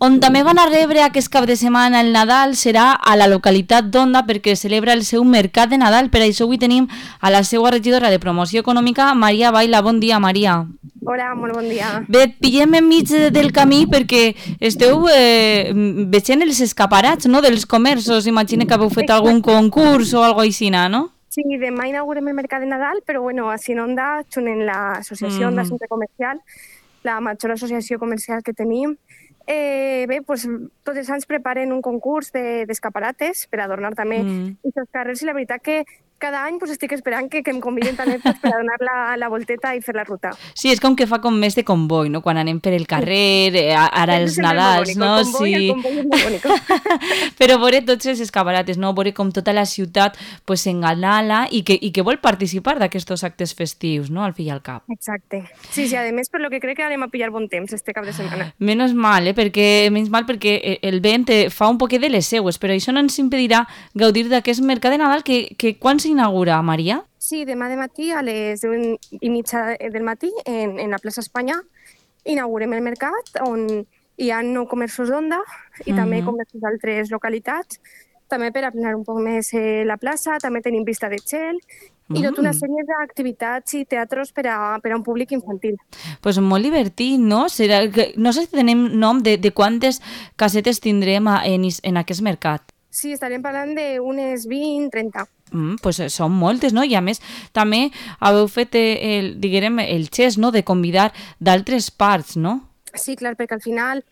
On també van a rebre aquest cap de setmana el Nadal serà a la localitat d'Onda perquè celebra el seu mercat de Nadal. Per això avui tenim a la seva regidora de promoció econòmica, Maria Baila. Bon dia, Maria. Hola, molt bon dia. Bé, et pillem enmig del camí perquè esteu veient els escaparats, no?, dels comerços. Imagina que haveu fet algun concurs o alguna cosa així, no? Sí, demà inaugurem el mercat de Nadal, però bueno, així en Onda, junt en l'associació Onda Centre Comercial, la major associació comercial que tenim. Bé, doncs tots els anys preparen un concurs d'escaparates per adornar també aquests carrers i la veritat que cada any estic esperant que em convidin també per a donar la volteta i fer la ruta. Sí, és com que fa com més de comboi, no? Quan anem per el carrer, ara els Nadals, no? El comboi és molt bonic. Però veure tots els escaparates, no? Veure com tota la ciutat s'engalala i que vol participar d'aquests actes festius, no? Al fi i al cap. Exacte. Sí, a més, per lo que crec que anem a pillar bon temps este cap de setmana. Menys mal perquè el vent fa un poquet de les seues, però això no ens impedirà gaudir d'aquest mercat de Nadal que quan s'inaugura, Maria? Sí, demà de matí a les 10:30 del matí en la plaça Espanya inaugurem el mercat on hi ha 9 comerços d'Onda i també comerços d'altres localitats, també per aplanar un poc més la plaça, també tenim vista de gel i tota una sèrie d'activitats i teatros per a un públic infantil. Pues molt divertit, no? No sé si tenim nom de quantes casetes tindrem en aquest mercat. Sí, estarem parlant d'unes 20-30. Pues són moltes, no? I a més també haveu fet el gest, no?, de convidar d'altres parts, no? Sí, clar, perquè al final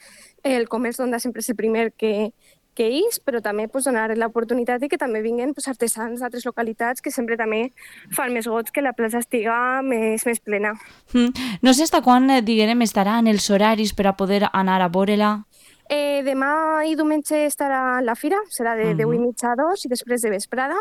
el comerç d'Onda sempre és el primer que és, però també donar l'oportunitat i que també vinguen artesans d'altres localitats que sempre també fan més goig que la plaça estiga més plena. No sé fins quan, estarà en els horaris per a poder anar a veure-la. Demà i diumenge estarà la fira, serà de 10:30 a 2 i després de vesprada.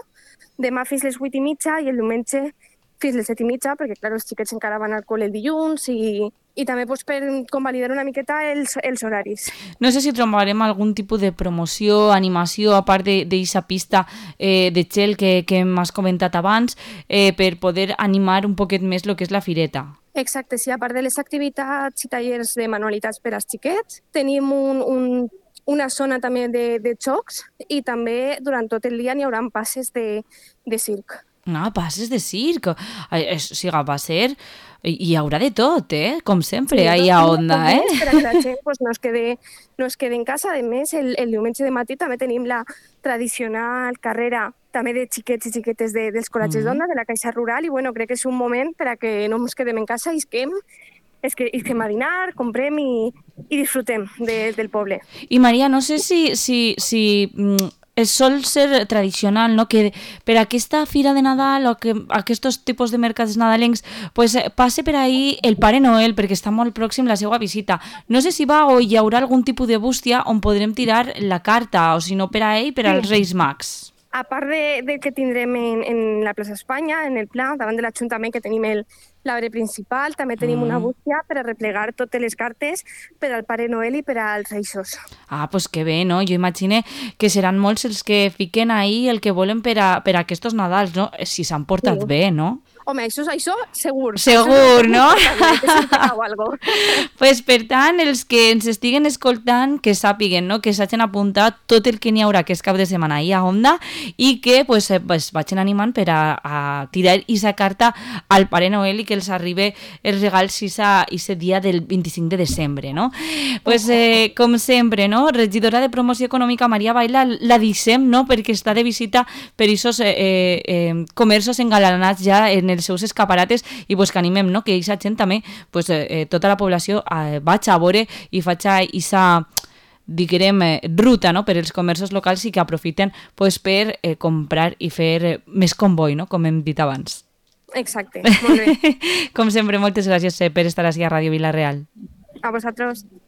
Demà fins les 8:30 i el diumenge fins les 7:30, perquè clar, els xiquets encara van al col·le el dilluns i també per convalidar una miqueta els horaris. No sé si trobarem algun tipus de promoció, animació, a part d'aquesta pista de gel que m'has comentat abans, per poder animar un poquet més el que és la fireta. Exacte, sí, a part de les activitats i tallers de manualitats per als xiquets, tenim una zona també de xocs i també durant tot el dia n'hi haurà passes de circ. Passes de circ. O sigui, va ser... Hi haurà de tot, com sempre, ahir a Onda, Per a que la gent no es quedi en casa. A més, el diumenge de matí també tenim la tradicional carrera també de xiquets i xiquetes dels col·legis d'Onda, de la Caixa Rural, i bueno, crec que és un moment per a que no ens quedem en casa, isquem a dinar, comprem i disfrutem del poble. I Maria, no sé si sol ser tradicional, no?, que per aquesta fira de Nadal o que aquests tipus de mercats nadalencs passe per ahí el Pare Noel perquè està molt pròxim la seva visita. No sé si hi haurà algun tipus de bústia on podrem tirar la carta, o si no per a ell, per als Reis Mags. A part de que tindrem en la plaça Espanya, en el Pla, davant de l'Ajuntament, que tenim l'arbre principal, també tenim una bústia per a replegar totes les cartes per al Pare Noel i per als Reixos. Pues que bé, no? Jo imagine que seran molts els que fiquen ahí el que volen per a aquests Nadals, no? Si s'han portat bé, no? Home, això segur. Segur, no? Pues per tant, els que ens estiguen escoltant, que sàpiguen, no?, que s'hagin apuntat tot el que n'hi haurà aquest cap de setmana ahir a Onda i que vagin animant per a tirar aquesta carta al Pare Noel i que els arribi els regals aquest dia del 25 de desembre, no? Com sempre, no?, regidora de promoció econòmica Maria Baila, la deixem, no?, perquè està de visita per aquests comerços engalanats ja en els seus escaparates i que animem, no?, que aquesta gent també, tota la població vaig a veure i faig aquesta, diguem, ruta, no?, per als comerços locals i que aprofiten per comprar i fer més comboi, no?, com hem dit abans. Exacte, molt bé. Com sempre, moltes gràcies per estar aquí a Ràdio Vila-real. A vosaltres.